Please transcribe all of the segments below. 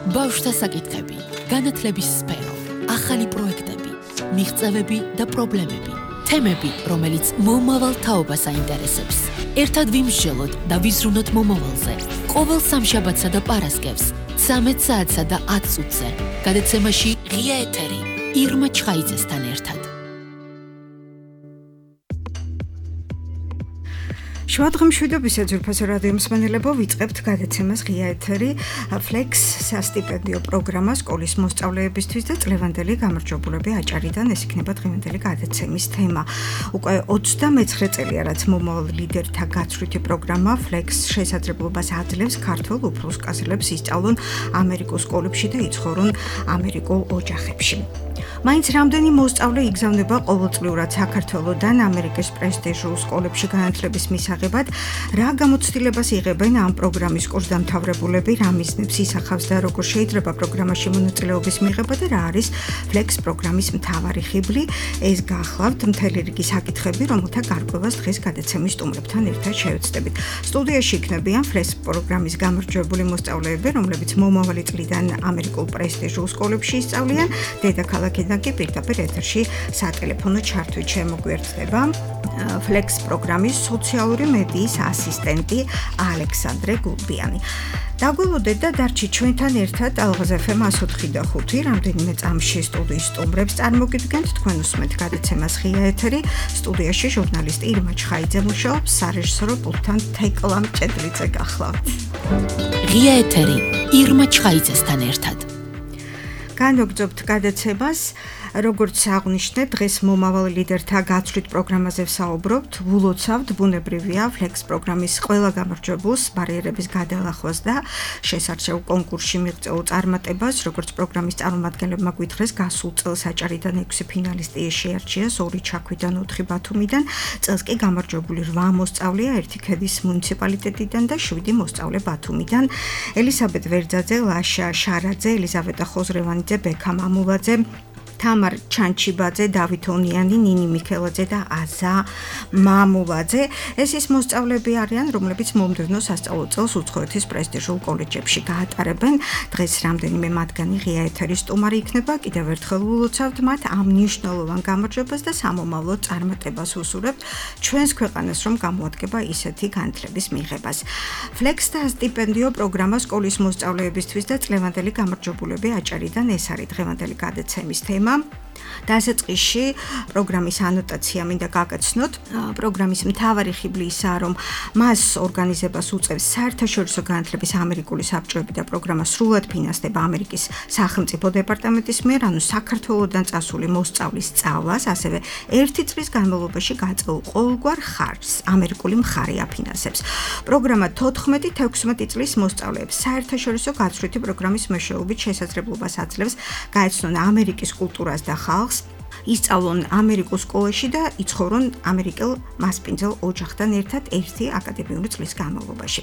ბავშვთა საკითხები, განათლების სფერო, ახალი პროექტები, მიღწევები და პრობლემები, თემები, რომელიც მომავალ თაობას აინტერესებს. ერთად ვიმსჯელოთ და ვიზრუნოთ მომავალზე. ყოველ სამშაბათსა და პარასკევს, 13 საათსა და 10 წუთზე. გადაცემაში ღია ეთერი, ირმა ჩხაიძესთან ერთად. შუადღემშვიდობის ეძურფასო რადიო მსმენელებო, ვიწყებთ გადაცემას ღია ეთერი Flex სასტიპენდიო პროგრამა სკოლის მოსწავლეებისთვის და წლევანდელი გამარჯვებულები აჭარიდან. ეს იქნება დღევანდელი გადაცემის თემა. უკვე 29 წელია, რაც მომავალ ლიდერთა გაცვლითი პროგრამა Flex შესაძლებლობას აძლევს ქართველ უფროსკაცებს ისწავლონ ამერიკულ სკოლებში და იცხოვრონ ამერიკულ ოჯახებში. მაინც რამდენი მოსწავლე იგზავნება ყოველწლიურად საქართველოდან ამერიკის პრესტიჟულ სკოლებში განათლების მისაღებად, რა გამოცდილებას იღებენ ამ პროგრამის კურსდამთავრებულები, რა მიზნებს ისახავს და როგორ შეიძლება პროგრამაში მონაწილეობის მიღება და რა არის Flex პროგრამის მთავარი ხიბლი, ეს გახლავთ მთელი რიგი საკითხები, რომელთა გარკვევას დღეს გადაცემის სტუმრებთან ერთად შევეცდებით. სტუდიაში იქნებიან Flex პროგრამის გამარჯვებული მოსწავლეები, რომლებიც მომავალი წლიდან ამერიკულ პრესტიჟულ სკოლებში ისწავლიან, დედაქალაქიდან კი პირდაპირ ეთერში სატელეფონო ჩართვით შემოგვიერთდება Flex პროგრამის სოციალური მედიის ასისტენტი ალექსანდრე გულბიანი. დაგველოდეთ და დარჩით ჩვენთან ერთად ალღაზ FM 104.5 რამდენიმე წამში სტუდიის სტუმრებს წარმოგიდგენთ. თქვენ უსმენთ გადაცემას ღია ეთერი. სტუდიაში ჟურნალისტი ირმა ჩხაიძე მუშაობს, სარეჟისორო პულტთან თეკლა მჭედლიძე გახლავთ. ღია ეთერი, ირმა ჩხაიძესთან ერთად. განვაგრძობთ გადაცემას. როგორც აღნიშნეთ, დღეს მომავალ ლიდერთა გაცვლით პროგრამაზე ვსაუბრობთ. ვილოცავთ ბუნებრივია Flex პროგრამის ყველა გამარჯვებულს ბარიერების გადალახვას და შესარჩევ კონკურსში მიღწეულ წარმატებას, როგორც პროგრამის წარმომადგენლებმა გვითხრეს, გასულ წელს აჭარიდან 6 ფინალისტი შეარჩიეს, 2 ჩაქვიდან, 4 ბათუმიდან. წელს კი გამარჯვებული 8 მოსწავლეა, 1 ქედის მუნიციპალიტეტიდან და 7 მოსწავლე ბათუმიდან. ელისაბედ ვერძაძე, ლაშა შარაძე, ელიზავეტა ხოზრევანიძე, ბექა მამულაძე, თამარ ჩანჩიბაძე, დავით ონიანი, ნინი მიქელაძე და აზა მამულაძე. ეს ის მოსწავლეები არიან, რომლებიც მომდევნო სასწავლო წელს უცხოეთის პრესტიჟულ კოლეჯებში გაატარებენ. დღეს რამდენიმე მათგანი ღია ეთერის სტუმარი იქნება. კიდევ ერთხელ ვილოცავთ მათ ამ მნიშვნელოვან გამარჯვებას და სამომავლო წარმატებას უსურვებთ ჩვენს ქვეყანას, რომ გამოადგება ისეთი განათლების მიღებას. Flex და სტიპენდიო პროგრამა სკოლის მოსწავლეებისთვის და წლევანდელი გამარჯვებულები აჭარიდან, ეს არის დღევანდელი გადაცემის თემა. დასაწყისში პროგრამის ანოტაცია მინდა გაგაცნოთ. პროგრამის მთავარი ხიბლი ისაა, რომ მას ორგანიზებას უწევს საერთაშორისო განათლების ამერიკული საბჭოები და პროგრამა სრულად ფინანსდება ამერიკის სახელმწიფო დეპარტამენტის მიერ, ანუ საქართველოდან წასული მოსწავლის სწავლას, ასევე 1 წლის განმავლობაში გაწეულ ყოველგვარ ხარჯს ამერიკული მხარე აფინანსებს. პროგრამა 14-16 წლის მოსწავლეებს საერთაშორისო გაცვლითი პროგრამის მეშვეობით შესაძლებლობას აძლევს გაეცნონ ამერიკის კულტურას და ხალხს, ისწავლონ ამერიკულ სკოლაში და იცხოვრონ ამერიკელ მასპინძელ ოჯახთან ერთად 1 აკადემიური წლის განმავლობაში.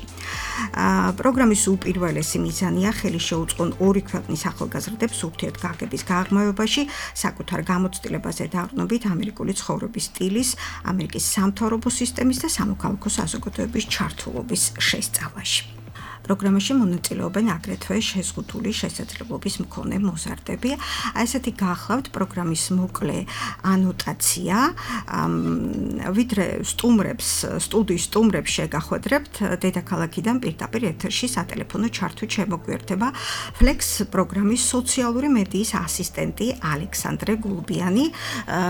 პროგრამის უპირველესი მიზანია ხელი შეუწყონ 2 ქვეყნის ახალგაზრდებს ურთიერთგაგების გაღრმავებაში, საკუთარ გამოცდილებაზე დაყრდნობით ამერიკული ცხოვრების სტილის, ამერიკის სამთავრობო სისტემის და სამოქალაქო საზოგადოების ჩართულობის შესწავლაში. პროგრამაში მონაწილეობენ აგრეთვე შეზღუდული შესაძლებლობის მქონე მოზარდები. ესეთი გახლავთ პროგრამის მოკლე ანოტაცია. ვიდრე სტუდიის სტუმრებს შეგახვედრებთ, დედაქალაქიდან პირდაპირ ეთერში სატელეფონო ჩართვით შემოგვიერთდება Flex პროგრამის სოციალური მედიის ასისტენტი ალექსანდრე გულბიანი.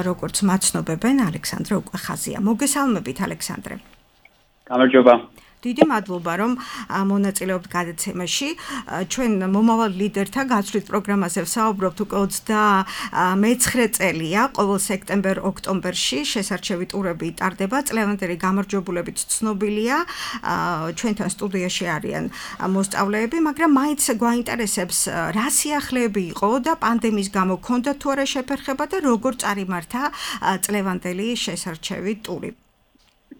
როგორც მაცნობებენ, ალექსანდრე უკვე ხაზია. მოგესალმებით, ალექსანდრე. გამარჯობა. დიდი მადლობა, რომ მონაწილეობთ გადაცემაში. ჩვენ მომავალ ლიდერთა გაცვლით პროგრამაზე ვსაუბრობთ უკვე 29 წელია. ყოველ სექტემბერ-ოქტომბერში შესარჩევი ტურები ტარდება. წლევანდელი გამარჯვებულებიც ცნობილია. ჩვენთან სტუდიაში არიან მოსწავლეები, მაგრამ მაინც გვაინტერესებს, რა სიახლეები იყო და პანდემიის გამო ქონდა თუ არა შეფერხება და როგორ წარიმართა წლევანდელი შესარჩევი ტური.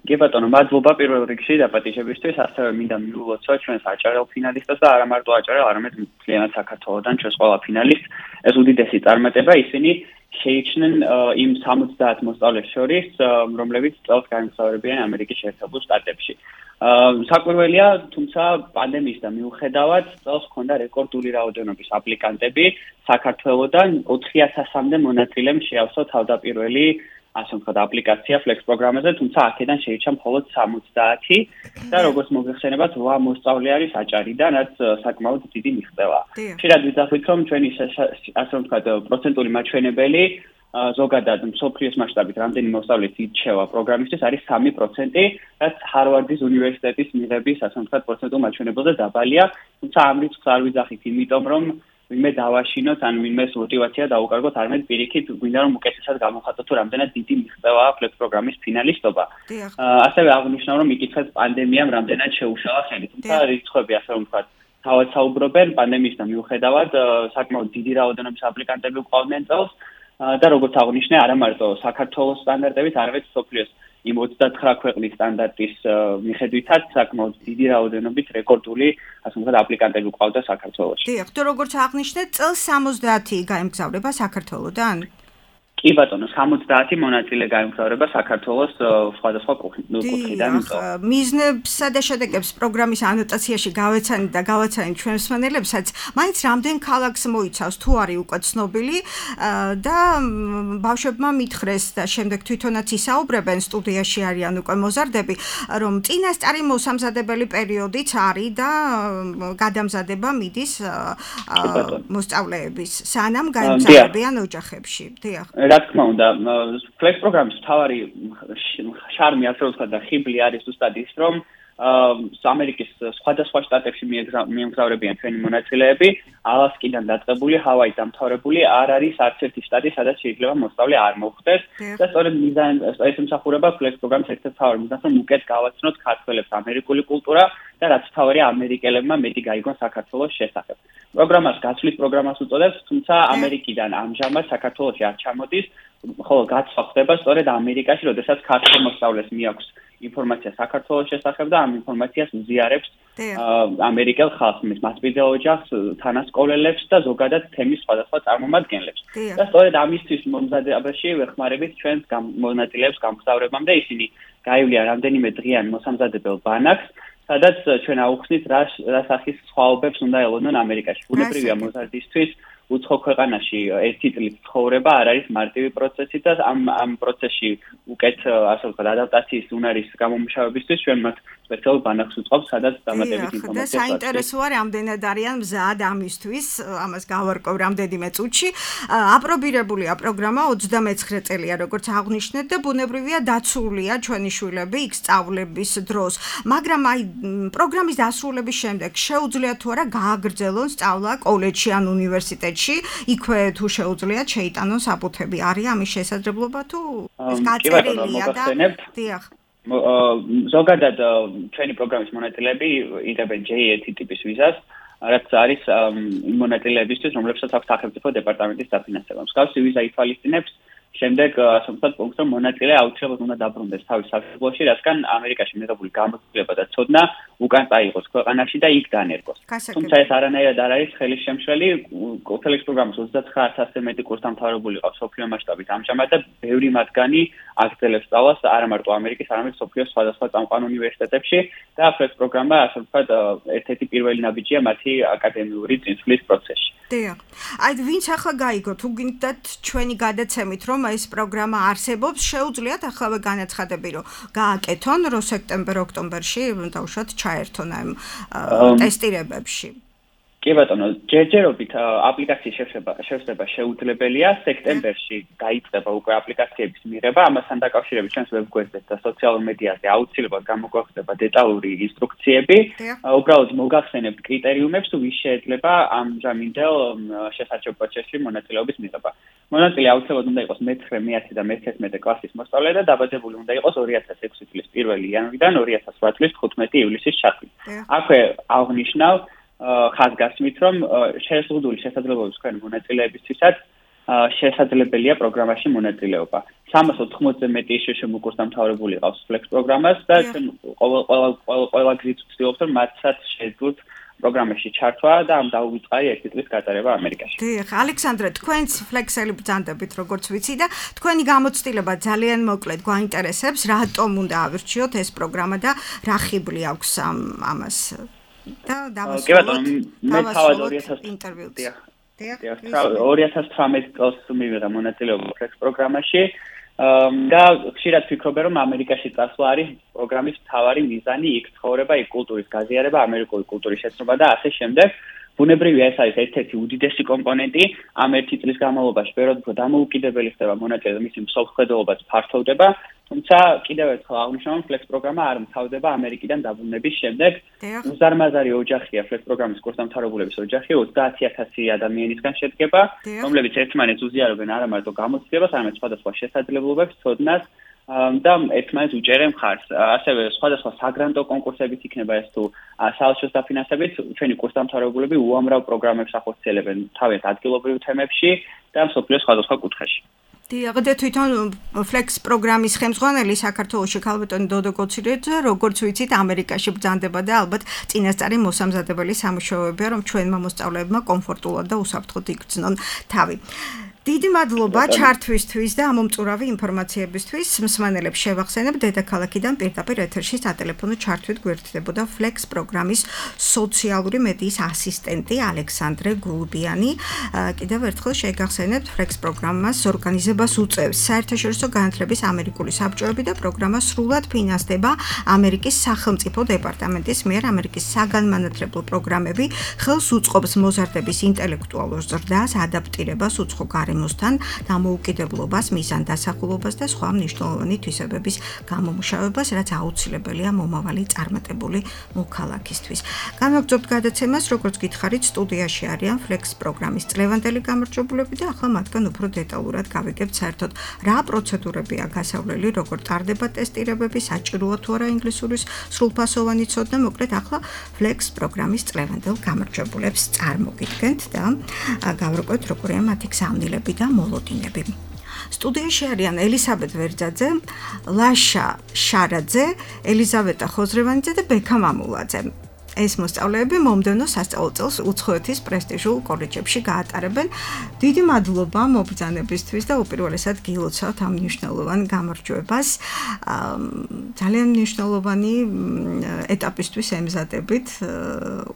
კი ბატონო, მადლობა პირველ რიგში დაპატიჟებისთვის, ასევე მინდა მივულოცო ჩვენს აჭარელ ფინალისტებს და არა მარტო აჭარელ, არამედ მთლიანად საქართველოდან ჩვენს ყველა ფინალისტს. ეს უდიდესი წარმატება, ისინი შეიჩნენ იმ 70 მოსწავლეს შორის, რომლებიც წელს გაემგზავრებიან ამერიკის შეერთებულ შტატებში. საკვირველია, თუმცა პანდემიისთან მიუხედავად, წელს ჰქონდა რეკორდული რაოდენობის აპლიკანტები საქართველოდან 4000-მდე მონაწილემ შეავსო თავდაპირველი ასე ვთქვათ, აპლიკაცია Flex პროგრამაზე, თუმცა აქედან შეიჭრა მხოლოდ 70 და როგორც მოგეხსენებათ, 8 მოსწავლე არის აჭარიდან, რაც საკმაოდ დიდი მიღწევაა. ხშირად ვიძახით, რომ ჩვენი ასე ვთქვათ, პროცენტული მაჩვენებელი ზოგადად მსოფლიოს მასშტაბით რამდენი მოსწავლე ირჩევა პროგრამისთვის არის 3%, რაც ჰარვარდის უნივერსიტეტის მიღების ასე ვთქვათ, პროცენტულ მაჩვენებელზე დაბალია, თუმცა ამ რიცხვს არ ვიძახით, იმიტომ რომ ვინმე დავაშინოთ, ან ვინმეს мотиваცია დაუკარგოთ, არამედ პირიქით გვინდა რომ უკეთესად გამოვხატოთ, თუ რამდენად დიდი მიღწევაა Flex პროგრამის ფინალისტობა. ასევე აღნიშნავ, რომ იკითხეთ პანდემიამ რამდენად შეუშალა ხელი, თუმცა რიცხვები ასე რომ ვთქვათ, თავად საუბრობენ პანდემიისთან მიუხედავად, საკმაოდ დიდი რაოდენობის აპლიკანტები გვყავდნენ წელს და როგორც აღნიშნე, არა მარტო საქართველოს სტანდარტებით, არამედ მსოფლიოს იმ 29 ქვეყნის სტანდარტის მიხედვითაც საკმაოდ დიდი რაოდენობით რეკორდული, ასე ვთქვათ, აპლიკანტები გვყავდა საქართველოში. დიახ, თუ როგორც აღნიშნეთ, წელს 70 გაემგზავრება საქართველოდან? კი ბატონო, 70 მონაწილე გაემგზავრება საქართველოს სხვადასხვა კუთხიდან. მიზნებსა და შედეგებს პროგრამის ანოტაციაში გავეცანით და გავაცანით ჩვენს მსმენელებსაც, მაინც რამდენ ქალაქს მოიცავს, თუ არის უკვე ცნობილი და ბავშვებმა მითხრეს და შემდეგ თვითონაც ისაუბრებენ, სტუდიაში არიან უკვე მოზარდები, რომ წინასწარი მოსამზადებელი პერიოდიც არის და გადამზადება მიდის მოსწავლეების, სანამ გაემგზავრებიან ოჯახებში. დიახ. რა თქმა უნდა, Flex პროგრამის მთავარი შარმი, ასე ვთქვათ, და ხიბლი არის ზუსტად ის, რომ ამერიკის სხვადასხვა შტატებში მიემგზავრებიან ჩვენი მონაწილეები, ალასკიდან დაწყებული, ჰავაის დამთავრებული, არ არის არც ერთი შტატი, სადაც შეიძლება მოსწავლე არ მოხვდეს და სწორედ ეს ემსახურება Flex პროგრამის ერთ-ერთ მთავარ მიზანს, რომ უკეთ გავაცნოთ ქართველებს ამერიკული კულტურა და რაც თავარია ამერიკელებმა მეტი გაიგონ საქართველოს შესახებ. პროგრამას გაცვლის პროგრამას უწოდებს, თუმცა ამერიკიდან ამჟამად საქართველოში არ ჩამოდის, ხოლო გაცვლა ხდება სწორედ ამერიკაში, როდესაც ქართველ მოსწავლეს მიაქვს ინფორმაცია საქართველოს შესახებ და ამ ინფორმაციას უზიარებს ამერიკელ ხალხს, მასპინძელ ოჯახს, თანასკოლელებს და ზოგადად თემის სხვადასხვა წარმომადგენლებს. და სწორედ ამისთვის მომზადებაში ვეხმარებით ჩვენს მონაწილეებს გამგზავრებამდე, ისინი გაივლიან რამდენიმე დღიან მოსამზადებელ ბანაკს, სადაც ჩვენ აუხსნით რა სახის სხვაობებს უნდა ელოდონ ამერიკაში. ბუნებრივია მოზარდისთვის უცხო ქვეყანაში ერთი წლის ცხოვრება არ არის მარტივი პროცესი და ამ პროცესში უკეთ ასე ვთქვათ ადაპტაციის უნარის გამომუშავებისთვის ჩვენ მათ სპეციალურ ბანაკს ვუწყობთ, სადაც დამატებით ინფორმაცია. და საინტერესოა რამდენად არიან მზად ამისთვის, ამას გავარკვევ რამდენიმე წუთში. აპრობირებულია პროგრამა 29 წელია, როგორც აღნიშნეთ და ბუნებრივია დაცულია ჩვენი შვილები იქ სწავლების დროს. მაგრამ აი პროგრამის დასრულების შემდეგ შეუძლიათ თუ არა გააგრძელონ სწავლა კოლეჯში ან უნივერსიტეტში, იქვე თუ შეუძლიათ შეიტანონ საფუთები. არის ამის შესაძლებლობა თუ ეს გაწერილია და დიახ. ზოგადად ჩვენი პროგრამის მონაწილეები იღებენ J1 ტიპის ვიზას, რაც არის მონაწილეებისთვის, რომლებსაც აქვს სახელმწიფო დეპარტამენტის დაფინანსება. მსგავსი ვიზა ითვალისწინებს შემდეგ ასე ვთქვათ, პუნქტს, რომ მონაწილე აუცილებლად უნდა დაბრუნდეს თავის სამშობლოში, რადგან ამერიკაში მიღებული გამოცდილება და ცოდნა უკან წაიღოს ქვეყანაში და იქ დანერგოს. თუმცა ეს არანაირად არ არის ხელის შემშლელი. Flex პროგრამის 29000-ზე მეტი კურსდამთავრებული ყავს მსოფლიო მასშტაბით ამჟამად და ბევრი მათგანი აგრძელებს სწავლას არა მარტო ამერიკის, არამედ მსოფლიოს სხვადასხვა წამყვან უნივერსიტეტებში და Flex პროგრამა ასე ვთქვათ, ერთ-ერთი პირველი ნაბიჯია მათი აკადემიური წინსვლის პროცესში. დიახ. აი ვინც ახლა გაიგო, თუ გინდათ ჩვენი გადაცემით, რომ ეს პროგრამა არსებობს, შეუძლიათ ახლა განაცხადები, რომ გააკეთონ, რომ სექტემბერ-ოქტომბერში დავუშვათ ჩაერთონ ამ ტესტირებებში. კი ბატონო, ჯერჯერობით აპლიკაციის შევსება შეუძლებელია. სექტემბერში გაიწყება უკვე აპლიკაციების მიღება, ამასთან დაკავშირებით ჩვენს ვებგვერდზე და სოციალურ მედიაზე აუცილებლად გამოგვახდება დეტალური ინსტრუქციები. უბრალოდ მოგახსენებთ კრიტერიუმებს, ვის შეიძლება ამჟამინდელ შესარჩევ პროცესში მონაწილეობის მიღება. მონაწილე აუცილებლად უნდა იყოს მე-9, მე-10 და მე-11 კლასის მოსწავლე და დაბადებული უნდა იყოს 2006 წლის 1 იანვრიდან 2008 წლის 15 ივლისის ჩათვლით. აქვე აღნიშნავ ხაზგასმით, რომ შეზღუდული შესაძლებლობების თქვენი მონაწილეებისთვისაც შესაძლებელია პროგრამაში მონაწილეობა. 380-ზე მეტი შშმ კურსდამთავრებული ყავს Flex პროგრამას და ჩვენ ყველა გზით ვცდილობთ, რომ მათსაც შეძლოთ პროგრამაში ჩართვა და ამ დაუვიწყარი 1 წლის გატარება ამერიკაში. დიახ, ალექსანდრე, თქვენც ფლექსელი ბრძანდებით, როგორც ვიცი და თქვენი გამოცდილება ძალიან მოკლედ გვაინტერესებს, რატომ უნდა ავირჩიოთ ეს პროგრამა და რა ხიბლი აქვს ამას და დავასრულოთ. მე თავად 2018 წელს მივიღე მონაწილეობა ფლექს პროგრამაში. და ხშირად ვფიქრობ, რომ ამერიკაში წასვლა არის პროგრამის მთავარი მიზანი, იქ ცხოვრება, იქ კულტურის გაზიარება, ამერიკული კულტურის შეცნობა და ასე შემდეგ. ბუნებრივია ეს არის ერთ-ერთი უდიდესი კომპონენტი, ამ 1 წლის განმავლობაში ბევრად უფრო დამოუკიდებელი ხდება მონაწილე, მისი მსოფლმხედველობაც ფართოვდება, თუმცა კიდევ ერთხელ აღნიშნავ, ფლექს პროგრამა არ მთავრდება ამერიკიდან დაბრუნების შემდეგ. უზარმაზარი ოჯახია ფლექს პროგრამის კურსდამთავრებულების ოჯახი, 30000 ადამიანისგან შედგება, რომლებიც ერთმანეთს უზიარებენ არა მარტო გამოცდილებას, არამედ სხვადასხვა შესაძლებლობებს, ცოდნას და ერთმანეთს უჭერენ მხარს. ასევე სხვადასხვა საგრანტო კონკურსებიც იქნება ეს თუ საელჩოს დაფინანსებით, ჩვენი კურსდამთავრებულები უამრავ პროგრამებს ახორციელებენ თავის ადგილობრივ თემებში და მსოფლიოს სხვადასხვა კუთხეში. დიახ, და თვითონ ფლექს პროგრამის ხელმძღვანელი საქართველოში ქალბატონი დოდო კოცირიძე, როგორც ვიცით, ამერიკაში ბრძანდება და ალბათ წინასწარი მოსამზადებელი სამუშაოებია, რომ ჩვენმა მოსწავლეებმა კომფორტულად და უსაფრთხოდ იგრძნონ თავი. დიდი მადლობა ჩართვისთვის და ამომწურავი ინფორმაციებისთვის. მსმენელებს შევახსენებ, დედაქალაქიდან პირდაპირ ეთერში სატელეფონო ჩართვით გვერდდებოდა ფლექს პროგრამის სოციალური მედიის ასისტენტი ალექსანდრე გულბიანი. კიდევ ერთხელ შეგახსენებთ, ფლექს პროგრამას ორგანიზებას უწევს საერთაშორისო განათლების ამერიკული საბჭოები და პროგრამა სრულად ფინანსდება ამერიკის სახელმწიფო დეპარტამენტის მიერ. ამერიკის საგანმანათლებლო პროგრამები ხელს უწყობს მოზარდების ინტელექტუალურ ზრდას, ადაპტირებას უცხო მოსთან დამოუკიდებლობას, მიზანდასახულობას და სხვა მნიშვნელოვანი თვისებების გამომუშავებას, რაც აუცილებელია მომავალი წარმატებული მოქალაქისთვის. განვაგრძობთ გადაცემას, როგორც გითხარით, სტუდიაში არიან ფლექს პროგრამის წლევანდელი გამარჯვებულები და ახლა მათგან უფრო დეტალურად გავიგებთ საერთოდ რა პროცედურებია გასავლელი, როგორ ტარდება ტესტირებები, საჭიროა თუ არა ინგლისურის სრულფასოვანი ცოდნა, მოკლედ ახლა ფლექს პროგრამის წლევანდელ გამარჯვებულებს წარმოგიდგენთ და გავრკვევთ, როგორია მათი გზავნილება და მოლოდინები. სტუდიაში არიან ელისაბედ ვერძაძე, ლაშა შარაძე, ელიზავეტა ხოზრევანიძე და ბექა მამულაძე. ეს მოსწავლეები მომდევნო სასწავლო წელს უცხოეთის პრესტიჟულ კოლეჯებში გაატარებენ. დიდი მადლობა მობრძანებისთვის და უპირველესად გილოცავთ ამ მნიშვნელოვან გამარჯვებას. ძალიან მნიშვნელოვანი ეტაპისთვის ემზადებით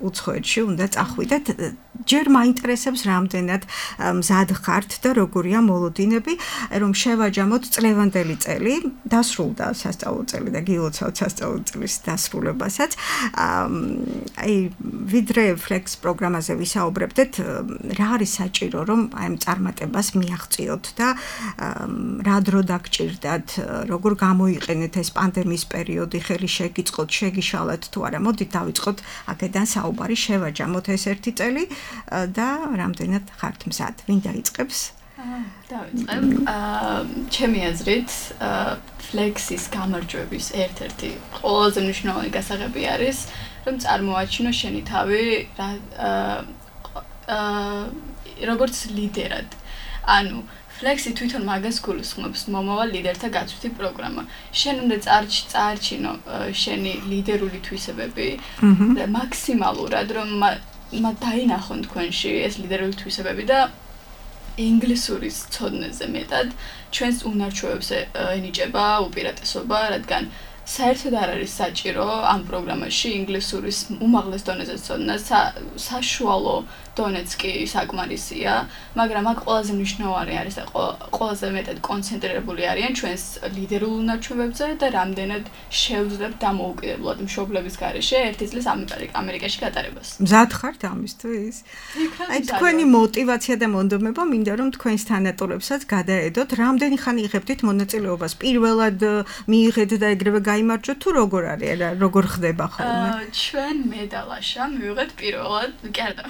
უცხოეთში უნდა წახვიდეთ. ჯერ მაინტერესებს რამდენად მზად ხართ და როგორია მოლოდინები, რომ შევაჯამოთ წლევანდელი წელი, დასრულდა სასწავლო წელი და გილოცავთ სასწავლო წლის დასრულებასაც. აი ვიდრე ფლექს პროგრამაზე ვისაუბრებდეთ, რა არის საჭირო, რომ აი ამ წარმატებას მიაღწიოთ და რა დრო დაგჭირდათ, როგორ გამოიყენეთ ეს პანდემიის პერიოდი, ხელი შეგიწყოთ, შეგიშალეთ თუ არა. მოდით დავიწყოთ აქედან საუბარი, შევაჯამოთ ეს ერთი წელი და რამდენად ხართ მზად. ვინ დაიწყებს? დავიწყებ. ჩემი აზრით, ფლექსის გამარჯვების ერთ-ერთი ყველაზე მნიშვნელოვანი გასაღები არის, რომ წარმოაჩინო შენი თავი როგორც ლიდერად. ანუ ფლექსი თვითონ მაგას გულისხმობს, მომავალ ლიდერთა გაცვლითი პროგრამა. შენ უნდა წაარჩინო შენი ლიდერული თვისებები და მაქსიმალურად რომ დაინახონ თქვენში ეს ლიდერული თვისებები და ინგლისურის ცოდნაზე მეტად ჩვენს უნარჩვევებს ენიჭება უპირატესობა, რადგან საერთოდ არ არის საჭირო ამ პროგრამაში ინგლისურის უმაღლეს დონეზე ცოდნა, საშუალო დონეც კი საკმარისია, მაგრამ აქ ყველაზე მნიშვნელოვანი არის და ყველაზე მეტად კონცენტრირებული არიან ჩვენს ლიდერულ უნარჩვევებზე და რამდენად შევძლებთ დამოუკიდებლად მშობლების გარეშე 1 წლის ამერიკაში გატარებას. მზად ხართ ამისთვის? აი თქვენი мотиваცია და მონდომება მინდა რომ თქვენს თანატოლებსაც გადაედოთ. რამდენი ხანი იღებდით მონაწილეობას? პირველად მიიღეთ და ეგრევე გაიმარჯვეთ თუ როგორ არის? როგორ ხდება ხოლმე? ჩვენ მე და ლაშა მივიღეთ პირველად, კი არა.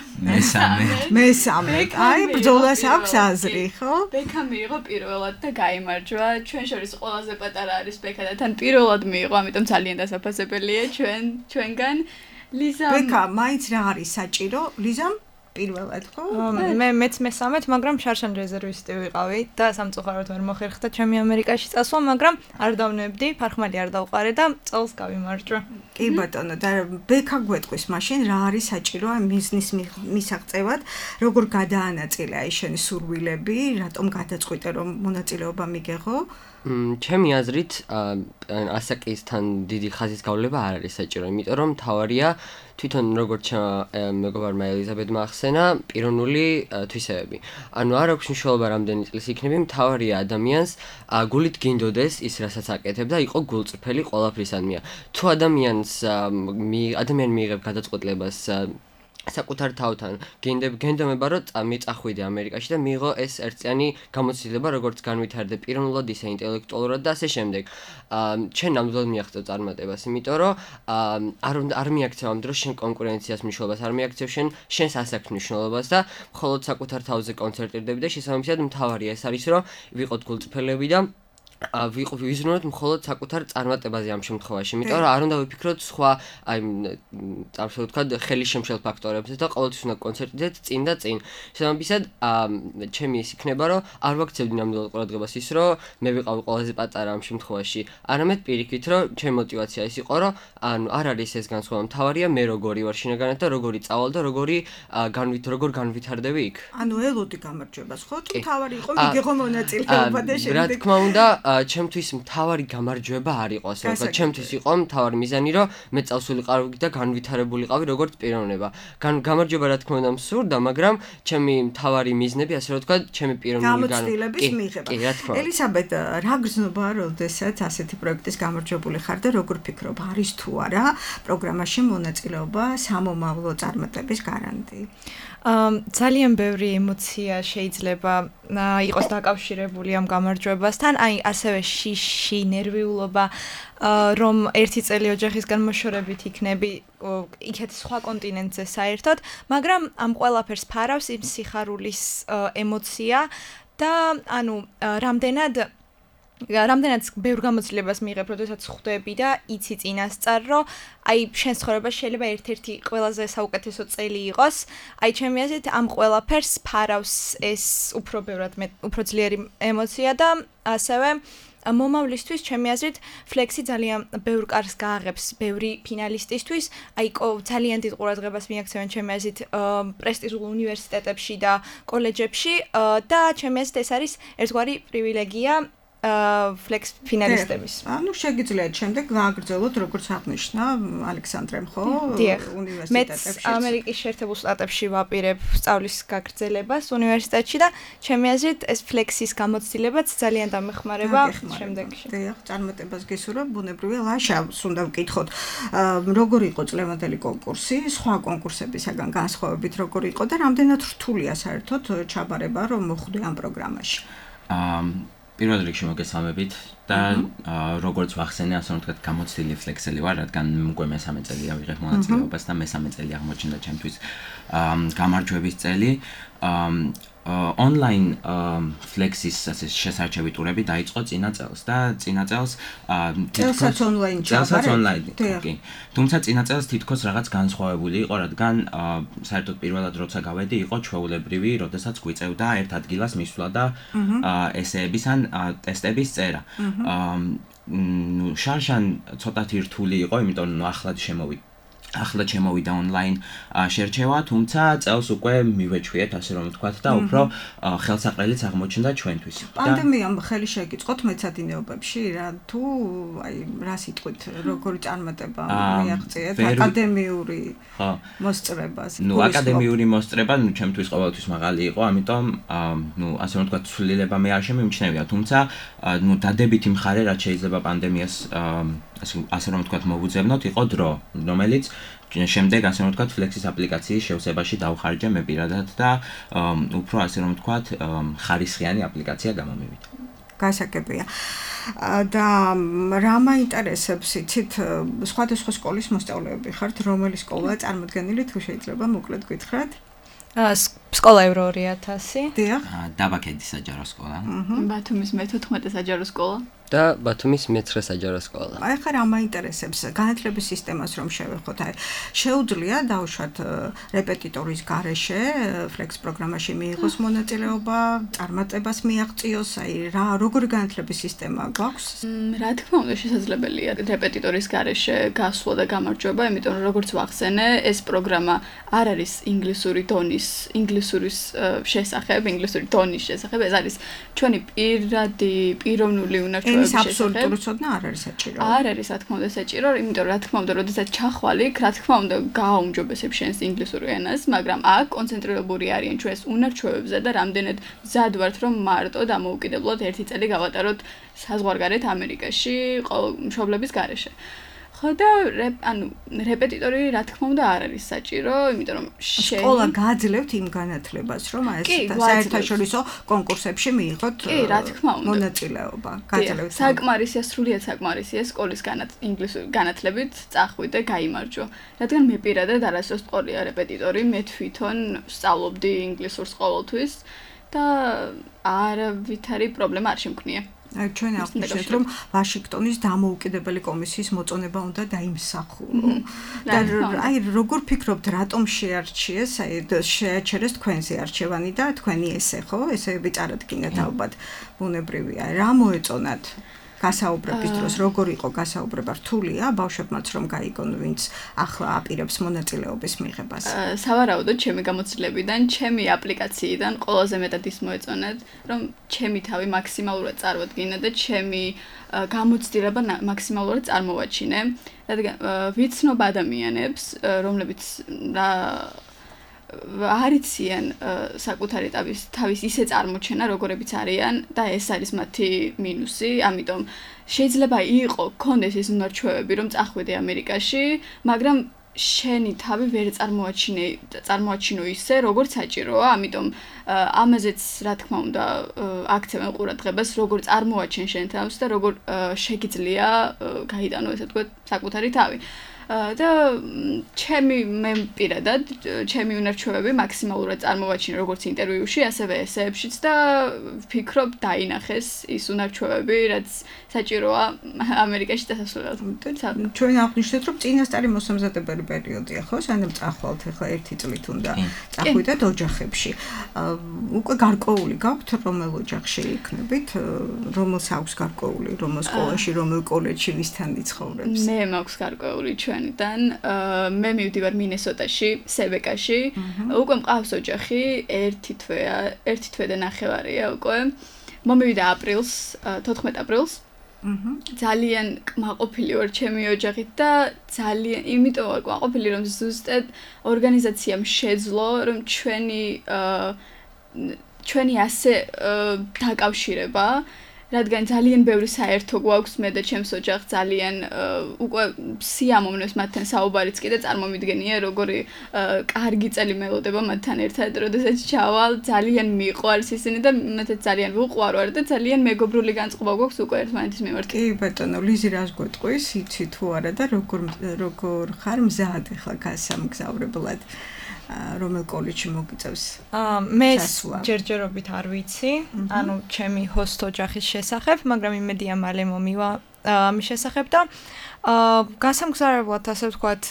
მესამე. აი ბრძოლას აქვს აზრი, ხო? ბექა მიიღო პირველად და გაიმარჯვა. ჩვენ შორის ყველაზე პატარა არის ბექა და თან პირველად მიიღო, ამიტომ ძალიან დასაფასებელია ჩვენგან. ლიზამ ბექა, მაინც რა არის საჭირო? ლიზამ პირველად ხო? მეც მესამეთ, მაგრამ შარშან რეზერვისტი ვიყავი და სამწუხაროდ ვერ მოხერხდა ჩემი ამერიკაში წასვლა, მაგრამ არ დავნებდი, ფარხმალი არ დავყარე და წელს გავიმარჯვა. კი ბატონო, და ბექა გვეტყვის მაშინ რა არის საჭირო ამ ბიზნეს მისაღწევად, როგორ გადაანაწილე აი შენი სურვილები, რატომ გადაწყვიტე რომ მონაწილეობა მიგეღო? ჩემი აზრით, ასაკისთან დიდი ხაზის გავლება არ არის საჭირო, იმიტომ რომ თავარია თვითონ როგორც მეგობარმა ელიზაბედმა ახსენა, პიროვნული თვისებები. ანუ არ აქვს მნიშვნელობა რამდენი წლის იქნები, მთავარია ადამიანს გულით გინდოდეს ის, რასაც აკეთებ და იყო გულწრფელი ყველაფრისადმია. თუ ადამიანს ადამიანი მიიღებ გადაწყვეტილებას საკუთარ თავთან გენდომება რომ წახვიდე ამერიკაში და მიიღო ეს ერთწლიანი გამოცდილება როგორც განვითარდე პიროვნულად ისე ინტელექტუალურად და ასე შემდეგ. ჩვენ ნამდვილად მიაღწევ წარმატებას, იმიტომ რომ არ მიაქცევ ამ დროს შენ კონკურენციას მნიშვნელობას, არ მიაქცევ შენს ასაკს მნიშვნელობას და მხოლოდ საკუთარ თავზე კონცენტრირდები და შესაბამისად მთავარია ეს არის რომ ვიყოთ გულწრფელები და ვიზრუნოთ მხოლოდ საკუთარ წარმატებაზე ამ შემთხვევაში, იმიტომ რომ არ უნდა ვიფიქროთ სხვა აი ასე ვთქვათ ხელისშემშელ ფაქტორებზე და ყოველთვის უნდა კონცენტრირდეთ წინ და წინ. შესაბამისად, ჩემი ის იქნება, რომ არ ვაქცევდი ნამდვილად ყურადღებას ის, რომ მე ვიყავი ყველაზე პატარა ამ შემთხვევაში. არამედ პირიქით, რომ ჩემი мотиваცია ის იყო, რომ ანუ არ არის ეს განსხვავება, მთავარია მე როგორი ვარ შინაგანად და როგორი წავალ და როგორ განვითარდები იქ. ანუ ელოდი გამარჯვებას, ხო? თუ მთავარი იყო მიგეღო მონაწილეობა და შემდეგ. რა თქმა უნდა, ჩემთვის მთავარი გამარჯვება არ იყო, ასე ვთქვათ, ჩემთვის იყო მთავარი მიზანი, რომ მე წავსულიყავი და განვითარებულიყავი როგორც პიროვნება. გამარჯვება რა თქმა უნდა მსურდა, მაგრამ ჩემი მთავარი მიზნები, ასე ვთქვათ, ჩემი პიროვნული გამოცდილების მიღება. ელიზაბედ, რა გრძნობა, როდესაც ასეთი პროექტის გამარჯვებული ხარ და როგორ ფიქრობ, არის თუ არა პროგრამაში მონაწილეობა სამომავლო წარმატების გარანტი? ძალიან ბევრი ემოცია შეიძლება იყოს დაკავშირებული ამ გამარჯვებასთან, აი ასევე შიში, ნერვიულობა, რომ ერთი წელი ოჯახისგან მოშორებით იქნები იქეთ სხვა კონტინენტზე საერთოდ, მაგრამ ამ ყველაფერს ფარავს იმ სიხარულის ემოცია და ანუ რამდენად ბევრ გამოცდილებას მიიღებ, როდესაც ხვდები და იცი წინასწარ, რომ აი შენ ცხოვრებაში შეიძლება ერთ-ერთი ყველაზე საუკეთესო წელი იყოს. აი ჩემი აზრით ამ ყველაფერს ფარავს ეს უფრო ძლიერი ემოცია და ასევე მომავლისთვის ჩემი აზრით ფლექსი ძალიან ბევრ კარგს გააღებს ბევრი ფინალისტისთვის. აი ძალიან დიდ ყურადღებას მიაქცევენ ჩემი აზრით პრესტიჟულ უნივერსიტეტებში და კოლეჯებში და ჩემი აზრით ეს არის ერთგვარი პრივილეგია ფლექს ფინალისტების. ანუ შეგიძლიათ შემდეგ გააგრძელოთ როგორც აღნიშნა ალექსანდრემ, ხო? უნივერსიტეტებში. მეც ამერიკის შეერთებულ შტატებში ვაპირებ სწავლის გაგრძელებას უნივერსიტეტში და ჩემი აზრით ეს ფლექსის გამოცდილებაც ძალიან დამეხმარება შემდეგში. დიახ, წარმატებას გესურვებ, ბუნებრივია. ლაშავს უნდა ვკითხოთ, როგორი იყო წლევანდელი კონკურსი, სხვა კონკურსებისაგან განსხვავებით როგორი იყო და რამდენად რთულია საერთოდ ჩაბარება რომ მოხვდე ამ პროგრამაში? პირველ რიგში მოგესალმებით და როგორც ვახსენე, ასე ვთქვათ, გამოცდილი ფლექსელი ვარ, რადგან უკვე მესამე წელია ვიღებ მონაწილეობას და მესამე წელი აღმოჩნდა ჩემთვის გამარჯვების წელი. Online ფლექსის ასე შესარჩევი ტურები დაიწყო წინა წელს და წინა წელს თითქოს online. კი. თუმცა წინა წელს თითქოს რაღაც განსხვავებული იყო, რადგან საერთოდ პირველად როცა გავედი, იყო ჩვეულებრივი, როდესაც გვიწევდა ერთ ადგილას მისვლა და ესეების ან ტესტების წერა. შარშან ცოტათი რთული იყო, იმიტომ რომ ახლა შემოვიდა online შერჩევა, თუმცა წელს უკვე მივეჩვიეთ, ასე რომ ვთქვათ და უფრო ხელსაყრელიც აღმოჩნდა ჩვენთვის. პანდემიამ ხელი შეიკიწყოთ მეცადინეობებში, რა თუ აი რა სიტყვით, როგორი წარმატება მიაღწიეთ აკადემიური მოსწრებას. აკადემიური მოსწრება, ჩემთვის ყოველთვის მაღალი იყო, ამიტომ ასე რომ ვთქვათ, ცვლილება მე არ შემიმჩნევია, თუმცა დადებითი მხარე, რაც შეიძლება პანდემიას ასე რომ ვთქვათ, მოვუძებნოთ, იყო დრო, რომელიც შემდეგ ასე რომ ვთქვათ, ფლექსის აპლიკაციის შევსებაში დავხარჯე მე პირადად და უფრო ასე რომ ვთქვათ, ხარისხიანი აპლიკაცია გამომივიდა. გასაგებია. და რა მაინტერესებს, იცით, სხვადასხვა სკოლის მოსწავლეები ხართ, რომელი სკოლაა წარმოდგენილი, თუ შეიძლება მოკლედ გითხრათ? სკოლა ევრო 2000. დიახ. დაბაქედის საჯარო სკოლა. ბათუმის მე-14 საჯარო სკოლა. და ბათუმის მე-9 საჯარო სკოლა. აი ხარ რა მაინტერესებს განათლების სისტემას რომ შევეხოთ, აი შეუძლია დავუშვათ რეპეტიტორის გარეშე ფლექს პროგრამაში მიიღოს მონაწილეობა, წარმატებას მიაღწიოს, აი რა როგორი განათლების სისტემა გვაქვს? რა თქმა უნდა შესაძლებელია რეპეტიტორის გარეშე გასვლა და გამარჯვება, იმიტომ რომ როგორც ვახსენე, ეს პროგრამა არ არის ინგლისური დონის შესახებ, ეს არის ჩვენი პიროვნული უნარჩვევების შესახებ. აბსოლუტური ცოდნა არ არის საჭირო. არ არის, რა თქმა უნდა, საჭირო, იმიტომ რომ რა თქმა უნდა, როდესაც ჩახვალიქ, რა თქმა უნდა, გააუმჯობესებ შენს ინგლისური ენას, მაგრამ აქ კონცენტრირებული არიან ჩვენს უნარჩვევებზე და რამდენად მზად ვართ, რომ მარტო დამოუკიდებლად 1 წელი გავატაროთ საზღვარგარეთ ამერიკაში, მშობლების გარეშე. ხო და რეპეტიტორი რა თქმა უნდა არ არის საჭირო, იმიტომ რომ სკოლა გააძლევთ იმ განათლებას, რომ ეს საერთაშორისო კონკურსებში მიიღოთ მონაწილეობა. გააძლევთ. საკმარისია, სრულიად საკმარისია სკოლის ინგლისური განათლებით წახვიდე, გაიმარჯვო. რადგან მე პირადად არასდროს ვყოლია რეპეტიტორი, მე თვითონ სწავლობდი ინგლისურს ყოველთვის და არავითარი პრობლემა არ შემქნია. ჩვენ აღნიშნეთ, რომ ვაშინგტონის დამოუკიდებელი კომისიის მოწონება უნდა დაიმსახურო. და აი როგორ ფიქრობთ, რატომ შეარჩიეს, აი შეაჩერეს თქვენზე არჩევანი და თქვენი ესე, ხო? ესეები წარადგინეთ ალბათ ბუნებრივია. რა მოეწონათ? გასაუბრების დროს როგორ იყო გასაუბრება? რთულია ბავშვებმაც რომ გაიგონ, ვინც ახლა აპირებს მონაწილეობის მიღებას? სავარაუდოდ ჩემი გამოცდილებიდან, ჩემი აპლიკაციიდან ყველაზე მეტად ის მოეწონათ, რომ ჩემი თავი მაქსიმალურად წარვადგინე და ჩემი გამოცდილება მაქსიმალურად წარმოვაჩინე, რადგან ვიცნობ ადამიანებს, რომლებიც არიციან საკუთარი თავის ისე წარმოჩენა, როგორებიც არიან და ეს არის მათი მინუსი, ამიტომ შეიძლება გქონდეს ის უნარჩვევები, რომ წახვიდე ამერიკაში, მაგრამ შენი თავი ვერ წარმოაჩინო ისე, როგორც საჭიროა, ამიტომ ამაზეც რა თქმა უნდა აქცევენ ყურადღებას, როგორ წარმოაჩენ შენ თავს და როგორ შეგიძლია გაიტანო ესე ვთქვათ საკუთარი თავი. და მე პირადად ჩემი უნარჩვევები მაქსიმალურად წარმოვაჩინე როგორც ინტერვიუში, ასევე ესეებშიც და ვფიქრობ დაინახეს ის უნარჩვევები, რაც საჭიროა ამერიკაში დასასვლელად. ჩვენ აღნიშნეთ, რომ წინასწარი მოსამზადებელი პერიოდია, ხო? სანამ წახვალთ, ახლა 1 წლით უნდა წახვიდეთ ოჯახებში. უკვე გარკვეული გაქვთ, რომელ ოჯახში იქნებით, რომელს აქვს გარკვეული, რომელ სკოლაში, რომელ კოლეჯში, ვისთან იცხოვრებს? მე მაქვს გარკვეული ჩვენიდან. მე მივდივარ მინესოტაში, სებეკაში. უკვე მყავს ოჯახი, 1 თვე და ნახევარია უკვე. მომივიდა აპრილს, 14 აპრილს. ძალიან კმაყოფილი ვარ ჩემი ოჯახით და ძალიან იმიტომ ვარ კმაყოფილი, რომ ზუსტად ორგანიზაციამ შეძლო, რომ ჩვენი ასე დაკავშირება, რადგან ძალიან ბევრი საერთო გვაქვს მე და ჩემს ოჯახს, ძალიან უკვე სიამოვნებს მათთან საუბარიც კი და წარმომიდგენია როგორი კარგი წელი მელოდება მათთან ერთად, როდესაც ჩავალ, ძალიან მიყვარს ისინი და მათაც ძალიან ვუყვარვარ და ძალიან მეგობრული განწყობა გვაქვს უკვე ერთმანეთის მიმართ. კი ბატონო, ლიზი რას გვეტყვის, იცი თუ არა და როგორ ხარ მზად ახლა გასამგზავრებლად? რომელ კოლეჯში მოგიწევს? მე ჯერჯერობით არ ვიცი, ანუ ჩემი ჰოსტ ოჯახის შესახებ, მაგრამ იმედია მალე მომივა ამის შესახებ და გასამგზავრებლად ასე ვთქვათ,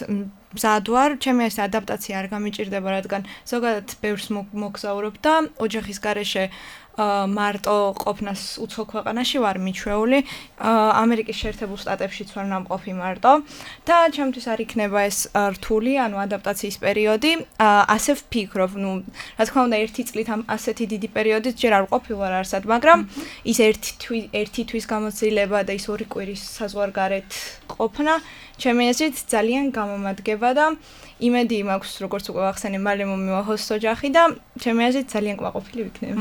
მზად ვარ, ჩემი ეს ადაპტაცია არ გამიჭირდება, რადგან ზოგადად ბევრს მოგზაურობ და ოჯახის გარეშე მარტო ყოფნას უცხო ქვეყანაში ვარ მიჩვეული, ამერიკის შეერთებულ შტატებშიც ვარ ნამყოფი მარტო და ჩემთვის არ იქნება ეს რთული, ანუ ადაპტაციის პერიოდი, ასე ვფიქრობ, რა თქმა უნდა 1 წლით ასეთი დიდი პერიოდით ჯერ არ ყოფილვარ არსად, მაგრამ ის 1 თვის გამოცდილება და ის 2 კვირის საზღვარგარეთ ყოფნა ჩემი აზრით ძალიან გამომადგება და იმედი მაქვს, როგორც უკვე ვახსენე, მალე მომივა ჰოსტ ოჯახი და ჩემი აზრით ძალიან კმაყოფილი ვიქნები.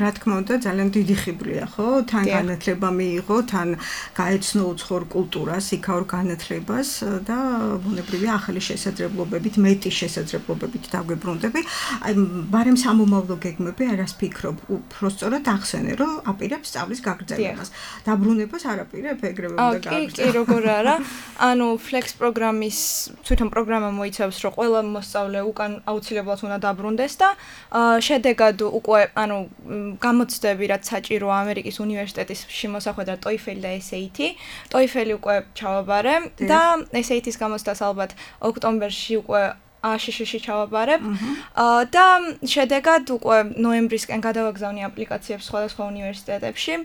რა თქმა უნდა, ძალიან დიდი ხიბლია, ხო? თან განათლება მიიღო, თან გაეცნო უცხოურ კულტურას, იქაურ განათლებას და ბუნებრივია ახალი შესაძლებლობებით, მეტი შესაძლებლობებით დაგვიბრუნდები. აი, ბარემ სამომავლო გეგმები არას ფიქრობ, უბრალოდ ახსენე, რომ აპირებს სწავლის გაგრძელებას. დაბრუნებას არ აპირებ, ეგრევე უნდა გააგრძელო. კი, როგორ არა. ანუ Flex პროგრამის თვითონ პროგრამა მოიცავს ნიშნავს, რომ ყველა მოსწავლე უკან აუცილებლად უნდა დაბრუნდეს და შედეგად უკვე გამოცდები რაც საჭიროა ამერიკის უნივერსიტეტში მოსახვედრად TOEFL და SAT. TOEFL უკვე ჩავაბარე და SAT-ის გამოცდას ალბათ ოქტომბერში უკვე ASHISH-ში ჩავაბარებ და შედეგად უკვე ნოემბრისკენ გადავაგზავნი აპლიკაციებს სხვადასხვა უნივერსიტეტებში.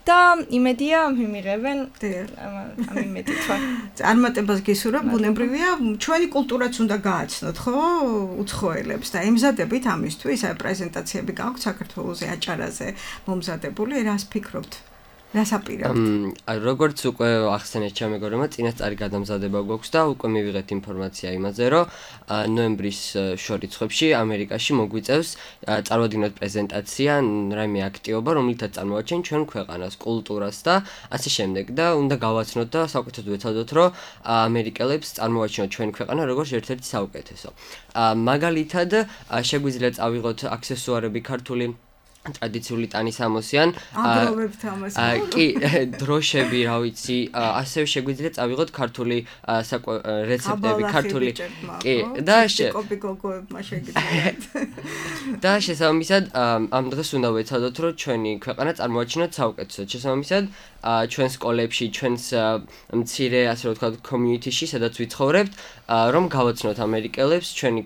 და იმედია მიმიღებენ ამ იმედით ვარ. წარმატებას გისურვებ, ბუნებრივია, ჩვენი კულტურაც უნდა გააცნოთ, ხო? უცხოელებს და ემზადებით ამისთვის, აი პრეზენტაციები გაქვთ საქართველოზე, აჭარაზე მომზადებული, რას ფიქრობთ? რას აპირებთ? როგორც უკვე ახსენეთ ჩემეგორმა, წინასწარი გადამზადება გვაქვს და უკვე მივიღეთ ინფორმაცია იმაზე, რომ ნოემბრის შორ რიცხვებში ამერიკაში მოგვიწევს წარმოადგინოთ პრეზენტაცია, რაიმე აქტივობა, რომლითაც წარმოვაჩენ ჩვენ ქვეყანას, კულტურას და ასე შემდეგ და უნდა გავაცნოთ და საუკეთესოდ ვეცადოთ, რომ ამერიკელებს წარმოვაჩინოთ ჩვენი ქვეყანა როგორც ერთ-ერთი საუკეთესო. მაგალითად, შეგვიძლია წავიღოთ აქსესუარები ქართული ტრადიციული ტანის ამოსიან აგროვებთ ამას. კი, დროშები, რა ვიცი, ასევე შეგვიძლია წავიღოთ ქართული რეცეპტები, ქართული კი და კოპიკოგოებმა შეგიძლიათ. და შესაბამისად ამ დღეს უნდა ვეცადოთ, რომ ჩვენი ქვეყანა წარმოვაჩინოთ საუკეთესოდ. შესაბამისად ჩვენ სკოლებში, ჩვენს მცირე, ასე რომ ვთქვათ, community-ში, სადაც ვიცხოვრებთ, რომ გავაცნოთ ამერიკელებს ჩვენი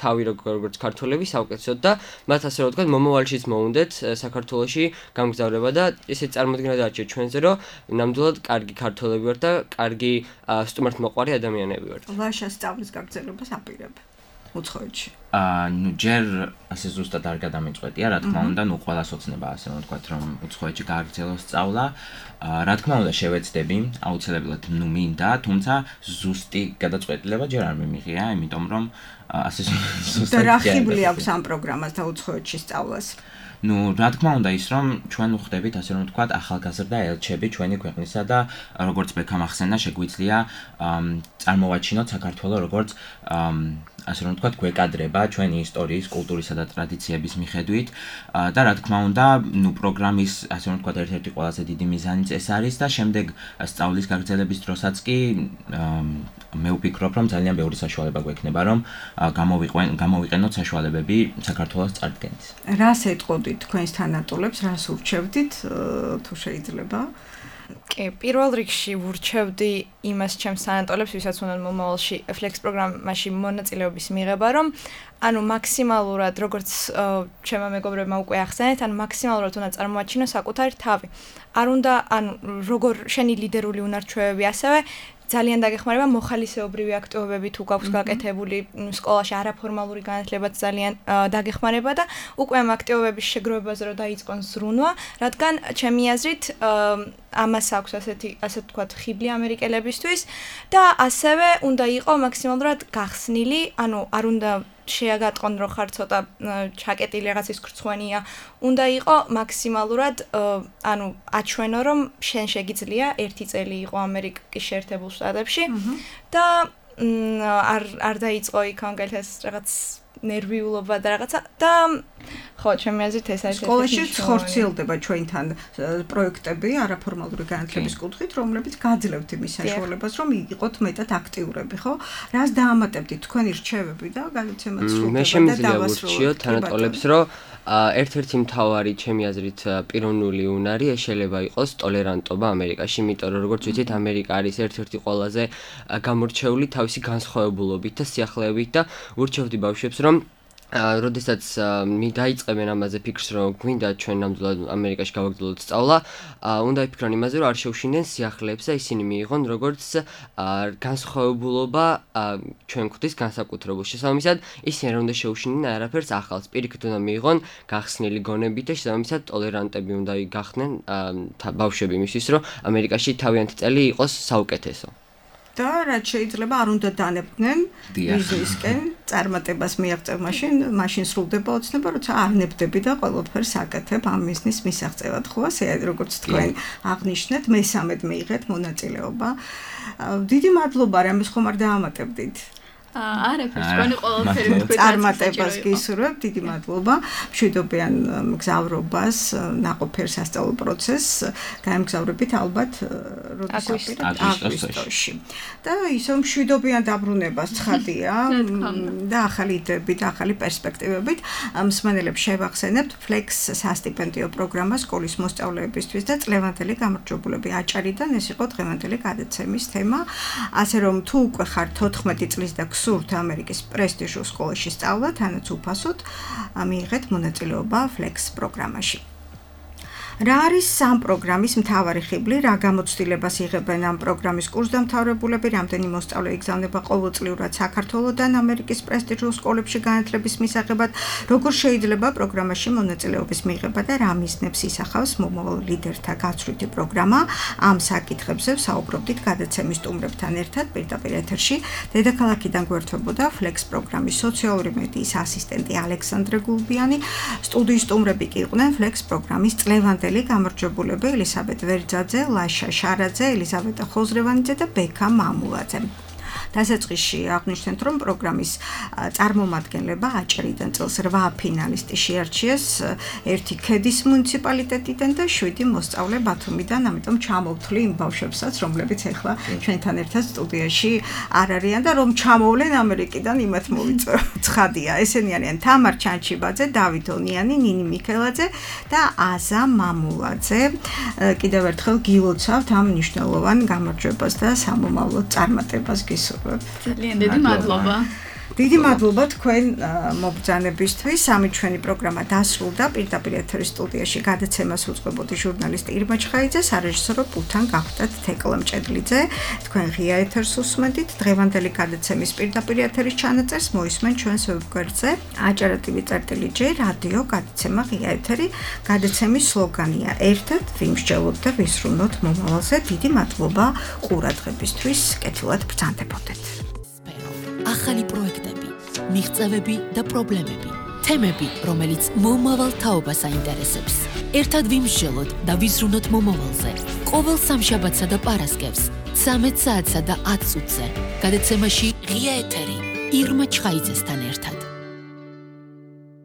თავი როგორც ქართველები საუკეთესოდ და მათ ასე რომ ვთქვათ, მომავალშიც მოუნდეთ საქართველოში გამგზავრება და ესე წარმოდგენა დაარჩიეთ ჩვენზე, რომ ნამდვილად კარგი ქართველები ვართ და კარგი სტუმართმოყვარე ადამიანები ვართ. ლაშა სწავლის გაგრძელებას აპირებ უცხოეთში. ნუ ჯერ ასე ზუსტად არ გადამიწყვეტია, რა თქმა უნდა, ნუ ყველას ოცნება ასე რომ ვთქვათ, რომ უცხოეთში გააგრძელოს სწავლა. რა თქმა უნდა, შევეცდები, აუცილებლად ნუ მინდა, თუმცა ზუსტი გადაწყვეტილება ჯერ არ მიმიღია, იმიტომ რომ ასე ზუსტად და რა ხიბლი აქვს ამ პროგრამას და უცხოეთში სწავლას? ნუ რა თქმა უნდა ის რომ ჩვენ ვხვდებით ასე რომ ვთქვათ ახალგაზრდა ელჩები ჩვენი ქვეყნისა და როგორც ბექამ ახსენა შეგვიძლია წარმოვაჩინოთ საქართველოს როგორც ასე რომ ვთქვათ გვეკადრება ჩვენი ისტორიის, კულტურისა და ტრადიციების მიხედვით და რა თქმა უნდა ნუ პროგრამის ასე რომ ვთქვათ ერთ-ერთი ყველაზე დიდი მიზანიც ეს არის და შემდეგ სწავლის გაგრძელების დროსაც კი მე ვფიქრობ რომ ძალიან ბევრი საშუალება გვექნება რომ გამოვიყენოთ საშუალებები საქართველოს წარდგენის. რას ეტყოდით თქვენს თანატოლებს, რას ურჩევდით თუ შეიძლება? კი, პირველ რიგში ვურჩევდი იმას ჩემს თანატოლებს, ვისაც უნდა მომავალში Flex პროგრამაში მონაწილეობის მიღება, რომ ანუ მაქსიმალურად როგორც ჩემმა მეგობრებმა უკვე ახსენეთ, ანუ მაქსიმალურად უნდა წარმოაჩინო საკუთარი თავი. არ უნდა ანუ როგორ შენი ლიდერული უნარჩვევები ასევე ძალიან დაგეხმარება მოხალისეობრივი აქტივობები თუ გაქვს გაკეთებული სკოლაში არაფორმალური განათლებაც ძალიან დაგეხმარება და უკვე ამ აქტივობების შეგროვებაზე რომ დაიწყონ ზრუნვა, რადგან ჩემი აზრით ამას აქვს ასე ვთქვათ ხიბლი ამერიკელებისთვის და ასევე უნდა იყოს მაქსიმალურად გახსნილი, ანუ არ უნდა შეაგატყონ რომ ხარ ცოტა ჩაკეტილი რაღაცის ხრცხვენია, უნდა იყოს მაქსიმალურად ანუ აჩვენო რომ შენ შეგიძლია 1 წელი იყო ამერიკის შეერთებულ შტატებში და არ დაიწყო იქ ანგელთეს რაღაც ნერვიულობა და რაღაცა და ხო, ჩემი აზრით ეს არის სკოლაში ხორციელდება ჩვენთან პროექტები არაფორმალური განათლების კუთხით, რომლებიც გაძლევთ იმის საშუალებას, რომ იყოთ მეტად აქტიურები, ხო? რას დაამატებდით თქვენი რჩევები და გადაცემაც სრულდება და მე შემიძლია ვურჩიოთ თანატოლებს, რომ ერთ-ერთი მთავარი ჩემი აზრით პიროვნული უნარი შეიძლება იყოს ტოლერანტობა ამერიკაში, იმიტომ რომ როგორც ვიცით, ამერიკა არის ერთ-ერთი ყველაზე გამორჩეული თავისი განსხვავებულობით და სიახლეებით და ვურჩევდი ბავშვებს, რომ როდესაც დაიწყებენ ამაზე ფიქრს, რომ გვინდა ჩვენ ნამდვილად ამერიკაში გავაგრძელოთ სწავლა, უნდა იფიქრონ იმაზე, რომ არ შეუშინდნენ სიახლეებს და ისინი მიიღონ როგორც განსხვავებულობა ჩვენ ხვდის განსაკუთრებულ. შესაბამისად, ისინი არ უნდა შეუშინდნენ არაფერს ახალს. პირიქით უნდა მიიღონ გახსნილი გონები და შესაბამისად ტოლერანტები უნდა გახდნენ ბავშვები იმისთვის, რომ ამერიკაში თავიანთი წელი იყოს საუკეთესო. და რაც შეიძლება არ უნდა დანებდნენ ბიზნესკენ წარმატებას მიაღწევ მაშინ სრულდება ოცნება, როცა არ ნებდები და ყველაფერს აკეთებ ამ ბიზნეს მისაღწევად, ხო ასე როგორც თქვენ აღნიშნეთ, მესამედ მიიღეთ მონაწილეობა. დიდი მადლობა, რამეს ხომ არ დაამატებდით. არაფერს, თქვენი ყველაფერი თქვენ წარმატებას გისურვებთ, დიდი მადლობა. მშვიდობიან მგზავრობას, ნაყოფიერ სასწავლო პროცესს გაემგზავრებით ალბათ აგვისტოში. და ისევ მშვიდობიან დაბრუნებას ცხადია და ახალი იდეებით, ახალი პერსპექტივებით მსმენელებს შევახსენებთ Flex სასტიპენდიო პროგრამა სკოლის მოსწავლეებისთვის და წლევანდელი გამარჯვებულები აჭარიდან. ეს იყო დღევანდელი გადაცემის თემა. ასე რომ თუ უკვე ხართ 14 წლის და გსურთ ამერიკის პრესტიჟულ სკოლაში სწავლა, თანაც უფასოდ მიიღეთ მონაწილეობა Flex პროგრამაში. რა არის ამ პროგრამის მთავარი ხიბლი, რა გამოცდილებას იღებენ ამ პროგრამის კურსდამთავრებულები, რამდენი მოსწავლე იგზავნება ყოველწლიურად საქართველოდან ამერიკის პრესტიჟულ სკოლებში განათლების მისაღებად, როგორ შეიძლება პროგრამაში მონაწილეობის მიღება და რა მიზნებს ისახავს მომავალ ლიდერთა გაცვლითი პროგრამა. ამ საკითხებზე ვსაუბრობდით გადაცემის სტუმრებთან ერთად პირდაპირ ეთერში. დედაქალაქიდან გვერდთვებოდა Flex პროგრამის სოციალური მედიის ასისტენტი ალექსანდრე გულბიანი. სტუდიის სტუმრები კი იყვნენ Flex პროგრამის წლევანდელი გამარჯვებულები ელისაბედ ვერძაძე, ლაშა შარაძე, ელიზავეტა ხოზრევანიძე და ბექა მამულაძე. დასაწყისში აღნიშნეთ, რომ პროგრამის წარმომადგენლება აჭარიდან წელს 8 ფინალისტი შეარჩიეს, 1 ქედის მუნიციპალიტეტიდან და 7 მოსწავლე ბათუმიდან, ამიტომ ჩამოვთვლი იმ ბავშვებსაც, რომლებიც ახლა ჩვენთან ერთად სტუდიაში არ არიან და რომ ჩამოვლენ ამერიკიდან, იმათ მოვიწყადია. ესენი არიან თამარ ჩანჩიბაძე, დავით ონიანი, ნინი მიქელაძე და აზა მამულაძე. კიდევ ერთხელ გილოცავთ ამ მნიშვნელოვან გამარჯვებას და სამომავლო წარმატებას გისურვებთ. ძალიან დიდი მადლობა. დიდი მადლობა თქვენ მობრძანებისთვის. ამით ჩვენი პროგრამა დასრულდა. პირდაპირ ეთერის სტუდიაში გადაცემას უწყებოდი ჟურნალისტი ირმა ჩხაიძე, სარეჟისორო პულთან გახდათ თეკლა მჭედლიძე. თქვენ ღია ეთერს უსმენთ. დღევანდელი გადაცემის პირდაპირ ეთერის ჩანაწერს მოისმენ ჩვენს ვებგვერდზე acara.tv/J რადიო გადაცემა ღია ეთერი. გადაცემის სლოგანია ერთად ვიმსჯელოთ და ვისრულოთ მომავალზე. დიდი მადლობა ყურადღებისთვის. კეთილად ბრძანდებოდეთ. ახალი პროექტები, მიღწევები და პრობლემები, თემები, რომელიც მომავალ თაობას აინტერესებს. ერთად ვიმსჯელოთ და ვიზრუნოთ მომავალზე. ყოველ სამშაბათსა და პარასკევს, 13 საათსა და 10 წუთზე. გადაცემაში ღია ეთერი ირმა ჩხაიძესთან ერთად.